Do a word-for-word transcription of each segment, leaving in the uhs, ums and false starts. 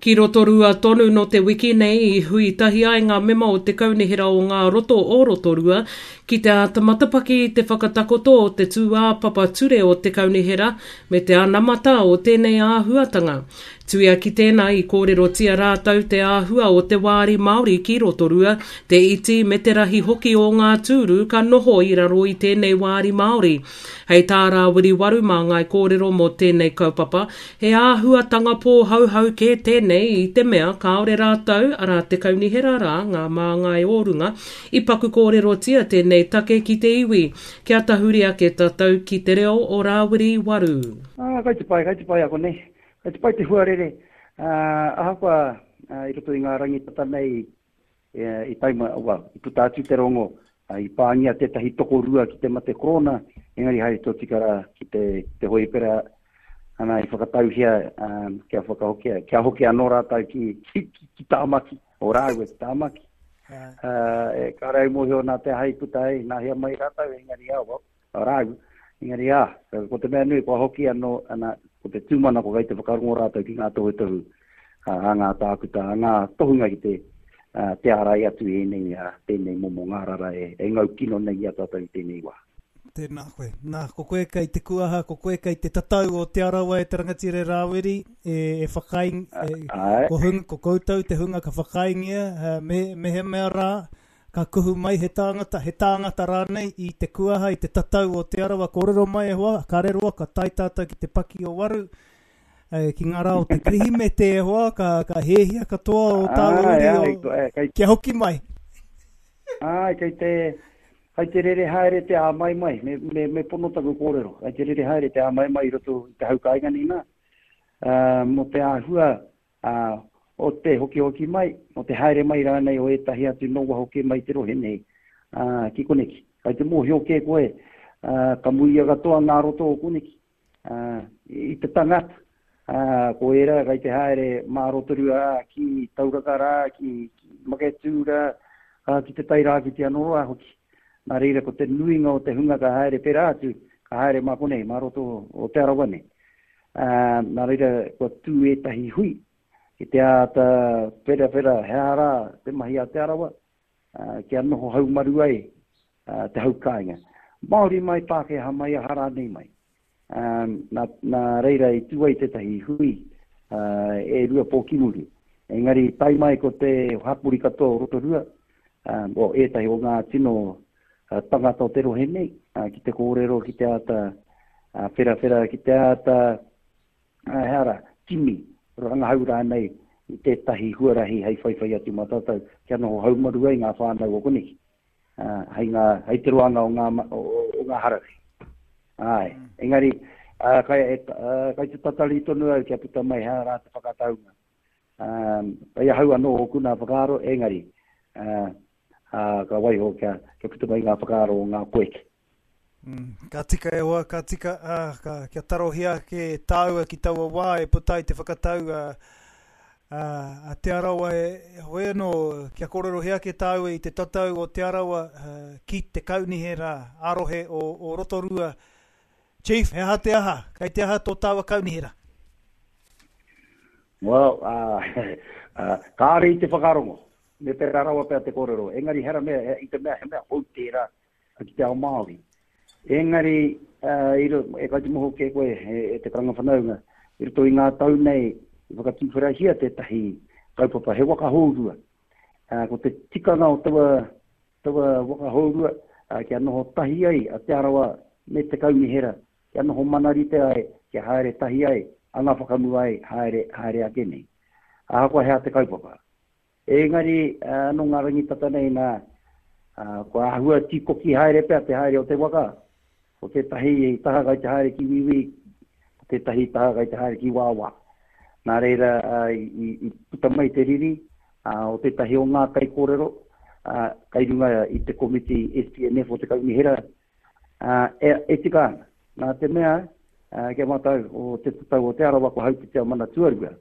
Ki Rotorua tonu nō te wiki nei i hui tahi ai ngā mema o te Kaunihera o ngā Roto o Rotorua ki te āta matapaki i te whakatakoto o te tūāpapa ture o te Kaunihera me te anamata o tēnei āhuatanga. Tuia ki tēnā i kōrerotia rātou te āhua o te wāri Māori ki Rotorua, te iti me te rahi hoki o ngā tūru ka noho i raro i tēnei wāri Māori. Hei tā Rāwiri Waru mā ngāi kōrero mō tēnei kaupapa, he āhuatanga pōhauhau kē tēnei i te mea kāore rātou, arā te kaunihera rā, ngā māngai o runga, i paku kōrerotia tēnei take ki te iwi. Kia tahuri ake tātou ki te reo o Rāwiri Waru. Ah, kai te pai, kai te pai ako nei. Kai te pai te huarere, uh, ahakoa uh, i roto i ngā rangitata nei e, i taima, well, i puta atu te rongo, uh, i pāngia tētahi tokorua ki te mate korona, engari haere tōtika rā ki te, te hoipera, ana i whakatauhia um, kia whakahokia, kia hoki anō rātou ki, ki, ki, ki Tāmaki, o rāua ki Tāmaki. Uh, e, ka rau mōhio nā te aha i puta ai, nā hea mai rātou, engari ā, well, rāua. Engari ā, ko te mea nui, kua hoki anō, ana, ko te tūmanako kei te whakarongo rātou ki ngā tohutohu, a ngā tākuta, a ngā tohunga ki te, uh, te ārai atu i ēnei, uh, tēnei momo ngārara e, e ngau kino nei i a tātou i tēnei wā. Tēnā koe. Nā, ko koe kei te kuaha, ko koe kei te tatau o Te Arawa e te rangatira Rāwiri, e, e whakai, e, ko, hung, ko koutou te hunga ka whakaingia, me, me he mea rā, ka kuhu mai he tāngata, he tāngata rānei i te kuaha, i te tatau o Te Arawa, kōrero mai e hoa, ka reroa, ka tae tātou ki te paki o Waru, e, ki ngā rā o te Kirihimete e hoa, ka, ka hēhia katoa o tāua uri o, kei, kia hoki mai. Ai, kei te, kei te rere haere te āmai mai, me, me, me pono taku kōrero, kei te rere haere te āmai mai i roto i te hau kāinga nei nā, uh, mō te āhua uh, o te hoki hoki mai, o te haere mai rānei o ētahi atu nō waho kē mai te rohe nei, uh, ki koneki. Kai te mōhio kē koe, uh, ka muia katoa ngā roto o koneki, uh, i te tangata, uh, ko ērā kai te haere mā Rotorua rā, ki Tauraka rā, ki, ki Maketū rā, uh, ki te Tairāwhiti anō rā hoki. Nā reira ko te nuinga o te hunga ka haere pērā atu, ka haere mā konei, mā roto o Te Arawa nei. Uh, nā reira kua tū ētahi hui, ki te āta wherawhera he aha rā te mahi a Te Arawa, uh, kia noho haumaru ai uh, te hau kāinga. Māori mai, Pākehā mai, aha rānei mai. Um, nā, nā reira i tū ai tētahi hui uh, e rua pō ki muri. Engari tae mai ko te hapori katoa o Rotorua, um, o ētahi o ngā tino uh, tangata o te rohe nei, uh, ki te kōrero, ki te āta uh, wherawhera, ki te āta uh, he ara, kimi, rangahau rānei i tētahi huarahi hei whaiwhai atu mā tātou, kia noho haumaru ai ngā whānau o koneki, uh, hei, ngā, hei te roanga o ngā, o, o ngā hararei. Ai, engari, uh, kai, uh, kai te tatari tonu au kia puta mai hea rā te whakataunga. Um, kai ahau anō ōku nā whakaaro, engari, uh, uh, ka waiho kia, kia puta mai ngā whakaaro o ngā koeke. Mm, ka tika e hoa, ka tika, uh, ka, kia tarohia ake tāua ki taua wā e puta ai te whakatau uh, uh, a Te Arawa e, hoi anō, kia kōrerohia ake tāua i te tatau o Te Arawa uh, ki te kaunihera ā-rohe o, o Rotorua. Chief, he aha te aha? Kei te aha tō tāua kaunihera? Well, uh, uh, kāre i te whakarongo, me pērā rawa pea te kōrero. Engari hera mea, i te mea he mea hou tērā ki te ao Māori. Engari, uh, i ro, e kai te moho kē koe e, e te karanga whanaunga, i roto i ngā tau nei, i whakatūwherahia tētahi kaupapa, he waka hourua. Uh, ko te tikanga o taua, taua waka hourua, uh, kia noho tahi ai a Te Arawa me te kaunihera, kia noho manarite ai, kia haere tahi ai, anga whakamua ai, haere, haere ake nei. Ahakoa hea te kaupapa. Engari, uh, nō ngā rangitata nei nā, uh, kua āhua tīkoki haere pea te haere o te waka, ko tētahi i taha kai te haere ki Wīwī, ko tētahi taha kai te haere ki Wāwā. Nā reira, uh, i, i puta mai te riri uh, o tētahi o ngā kaikōrero, uh, kai runga i te komiti S P N F o te kaunihera, uh, e, e tika ana. Nā te mea, uh, kia mātou o te tatau o Te Arawa ko Haupitea mana tuarua.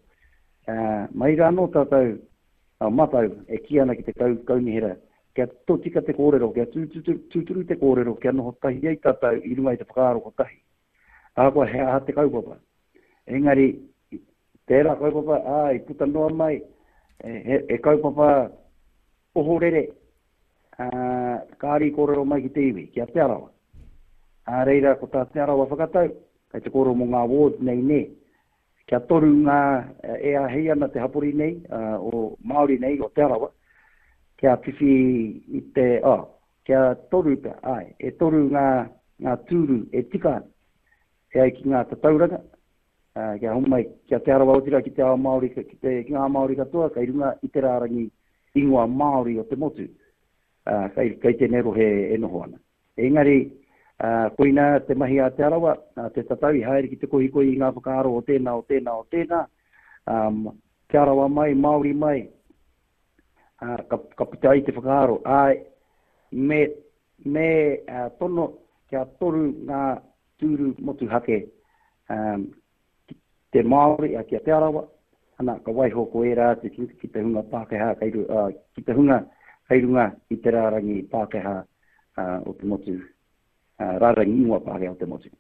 Uh, mai rā anō tātou, uh, mātou e kī ana ki te kau, kaunihera, kia tōtika te kōrero, kia tūturu te kōrero, kia noho tahi ai tātou i runga i te whakaaro kotahi. Ahakoa he aha te kaupapa. Engari, Tērā kaupapa, ā, i puta noa mai, e, he, he kaupapa ohorere, ā, kāre i kōrero mai ki te iwi, ki a Te Arawa. Ā reira, ko tā Te Arawa whakatau, kei te kōrero mō ngā wards nei nē, kia toru ngā, e āhei ana te hapori nei, ā, o Māori nei, o Te Arawa, kia whiwhi i te, oh, kia toru pea, āe, e toru ngā, ngā tūru e tika ana, e ai ki ngā tatauranga, ā, kia homai, ki a Te Arawa otirā ki te ao Māori, ki te, ki ngā Māori katoa, kei runga i te rārangi ingoa Māori o te motu, ā, kei, kei tēnei rohe e noho ana. Engari, ā, koinā te mahi a Te Arawa, ā, te tatau i haere ki te kohikohi i ngā whakaaro o tēnā, o tēnā, o tēnā, ā, Te Arawa mai, Māori mai, ā, ka, ka puta ai te whakaaro, āe, me, me ā, tono kia toru ngā tūru motuhake, ā, ki te Māori, ā, ki a Te Arawa, ana, ka waiho ko ērā atu ki, ki te hunga Pākehā, kei, ā, ki te hunga kei runga i te rārangi Pākehā, ā, o te motu, ā, rārangi ingoa Pākehā o te motu.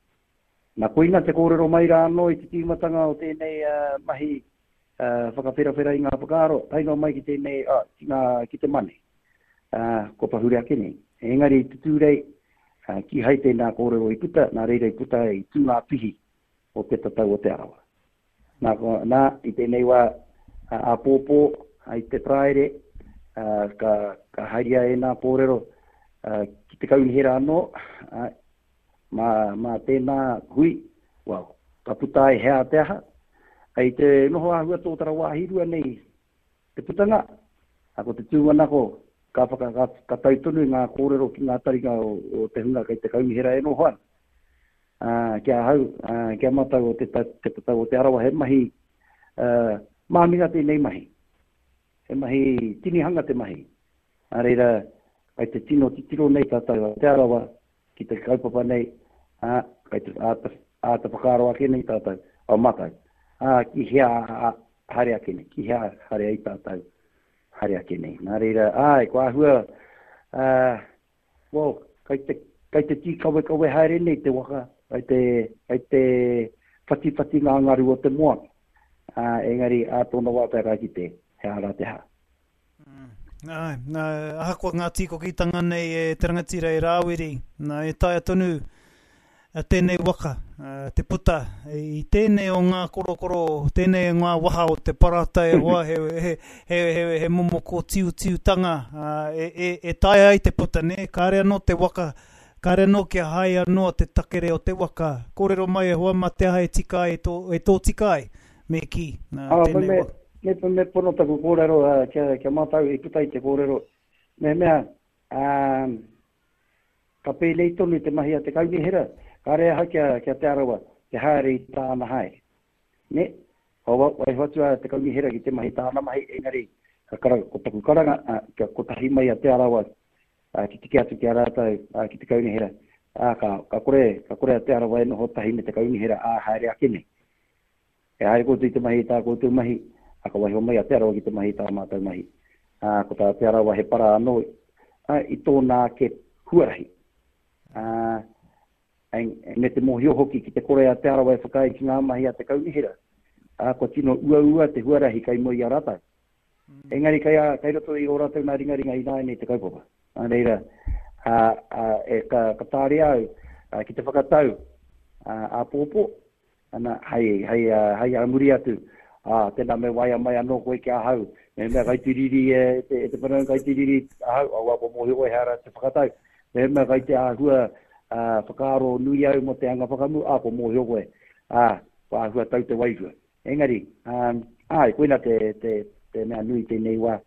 Nā, koina te kōrero mai rā anō i te tīmatanga o tēnei ā, mahi ā, whakawherawhera i ngā whakaaro, tae noa mai ki tēnei, ā, ki ngā, ki te mane, ā, kua pahure ake nei. Engari i te Tūrei, ā, kīhai tēnā kōrero i puta, nā reira i puta ai i tū ngā pihi o te tatau o Te Arawa. Nā, ko, nā, i tēnei wā, ā, āpōpō, ā, i te Paraire, ā, ka, ka haria ēnā kōrero, ā, ki te kaunihera anō, ā, mā, mā tēnā hui, well, ka puta ai he aha te aha, i te noho āhua tōtara wāhi rua nei te putanga, ā, ko te tūmanako, ka whaka, ka, ka tau tonu ngā kōrero ki ngā taringa o, o te hunga kei te kaunihera e noho ana. Ā, ki ahau, ā, ki a mātou o te, te tatau o Te Arawa, he mahi, ā, māminga tēnei mahi. He mahi tinihanga te mahi. Nā reira, kai te tino titiro nei tātou a Te Arawa ki te kaupapa nei, ā, kai te āta, āta whakaaro ake nei tātou, o mātou, ā, ki hea haere ake nei, ki hea haere ai tātou haere ake nei. Nā reira, āe, ko āhua, ā, well, kai te, kai te tīkawekawe haere nei te waka, kai te, kai te whatiwhati ngā ngaru o te moana. Ā, engari, ā tōna wā pea ka kite, he aha rā te hā. Āe, nā, ahakoa ngā tīkokitanga nei e te rangatira e Rāwiri, nā, e taea tonu tēnei waka te puta i tēnei o ngā korokoro, tēnei o ngā waha o te parata e hoa, he, he, he, he, he momo kōtiutiutanga e, e, e taea ai te puta, nē, kāre anō te waka, kāre anō kia haea noa te takere o te waka. Kōrero mai e hoa mā te aha e tika ai, e tō, e tōtika ai, me kī, nā, tēnei me, waka. Me, me pono taku kōrero, uh, kia, kia mātau i puta i te kōrero. Mehemea, um, ka pēnei tonu te mahi a te kaunihera, kāre aha kia, kia Te Arawa, te haere i tāna haere. Ne? Wa, waiho atu a te kaunihera ki te mahi tāna mahi, engari, ka kara, ko taku karanga, uh, kia kotahi mai a Te Arawa, uh, ki tiki atu ki a rātou, uh, ki te kaunihera, uh, ka, ka kore, ka kore a Te Arawa e noho tahi me te kaunihera, ā, haere ake nei. E haere koutou i te mahi i tā koutou mahi, ā, ka waiho mai a Te Arawa ki te mahi i tā mātou mahi. Ā, ko tā Te Arawa he para anō, ā, i tōna ake huarahi. Ā, me te mōhio hoki ki te kore a Te Arawa e whakaae ki ngā mahi a te kaunihera, ā, kua tino uaua te huarahi kei mua i a rātou. Engari kei, a, kei roto i ō rātou nā ringaringa ināianei te kaupapa. Nā reira, ā, ā, e, ka, ka tāria au, ā, ki te whakatau, ā, āpōpō, ana, hei, hei, hei ā muri atu, ā, tēnā me waea mai anō koe ki ahau, mehemea kai te riri e te, e te whanaunga kai te riri ahau, aua kua mōhio koe he ara te whakatau, mehemea kai te āhua ā, whakaaro nui au mō te anga whakamu, ā, kua mōhio koe, ā, kua āhua tau te wairua. Engari, ā, āe, koina te, te, te mea nui tēnei wā,